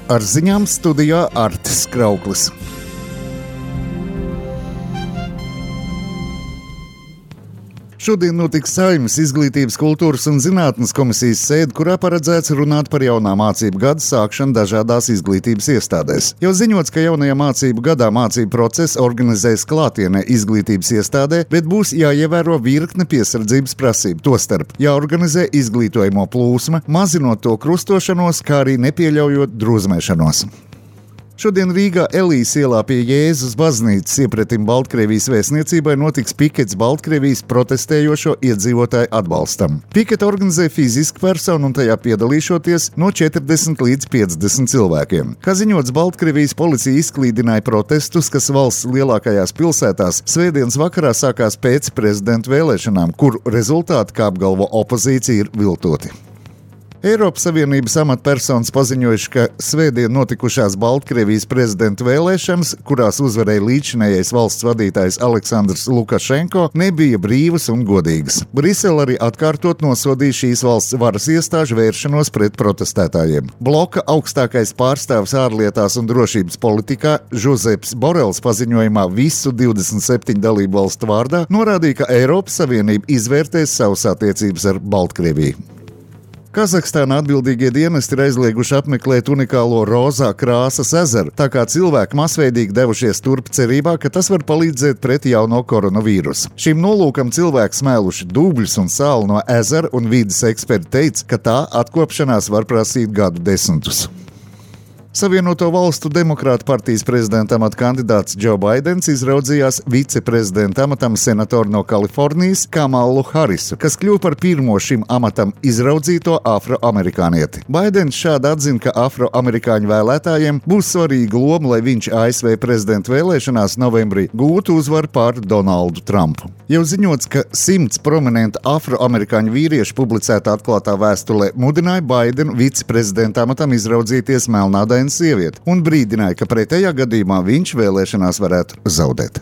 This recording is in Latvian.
Ar ziņām studijā Artis Krauklis. Šodien notiks Saeimas Izglītības, kultūras un zinātnes komisijas sēde, kurā paredzēts runāt par jaunā mācību gada sākšanu dažādās izglītības iestādēs. Jau ziņots, ka jaunajā mācību gadā mācību procesu organizēs klātienē izglītības iestādē, bet būs jāievēro virkne piesardzības prasību, tostarp jāorganizē izglītojamo plūsma, mazinot to krustošanos, kā arī nepieļaujot drūzmēšanos. Šodien Rīgā Elijas ielā pie Jēzus baznīcas iepretim Baltkrievijas vēstniecībai notiks pikets Baltkrievijas protestējošo iedzīvotāju atbalstam. Piketa organizē fiziska persona un tajā piedalīšoties no 40 līdz 50 cilvēkiem. Kā ziņots, Baltkrievijas policija izklīdināja protestus, kas valsts lielākajās pilsētās svētdienas vakarā sākās pēc prezidenta vēlēšanām, kuru rezultāti, kā apgalvo opozīcija, ir viltoti. Eiropas Savienības amatpersonas paziņojuši, ka svētdien notikušās Baltkrievijas prezidenta vēlēšanas, kurās uzvarēja līdzinējais valsts vadītājs Aleksandrs Lukašenko, nebija brīvas un godīgas. Brisele arī atkārtot nosodīja šīs valsts varas iestāžu vēršanos pret protestētājiem. Bloka augstākais pārstāvis ārlietās un drošības politikā Žozeps Borels paziņojumā visu 27 dalību valstu vārdā norādīja, ka Eiropas Savienība izvērtēs savas attiecības ar Baltkrieviju. Kazahstānā atbildīgie dienesti ir aizlieguši apmeklēt unikālo rozā krāsas ezeru, tā kā cilvēki masveidīgi devušies turp cerībā, ka tas var palīdzēt pret jauno koronavīrusu. Šim nolūkam cilvēki smēluši dubļus un sāli no ezera, un vides eksperti teica, ka tā atkopšanās var prasīt gadu desmitus. Savienoto valstu demokrātu partijas prezidenta amata kandidāts Džo Baidens izraudzījās viceprezidenta amatam senatoru no Kalifornijas Kamalu Harisu, kas kļuva par pirmo šim amatam izraudzīto afroamerikānieti. Baidens šādi atzina, ka afroamerikāņu vēlētājiem būs svarīga loma, lai viņš ASV prezidenta vēlēšanās novembrī gūtu uzvaru pār Donaldu Trumpu. Jau ziņots, ka 100 prominentu afroamerikāņu vīriešu publicētā atklātā vēstulē mudināja Baidenu viceprezidenta amatam izraudzīties melnādainu sievieti un brīdināja, ka pretējā gadījumā viņš vēlēšanās varētu zaudēt.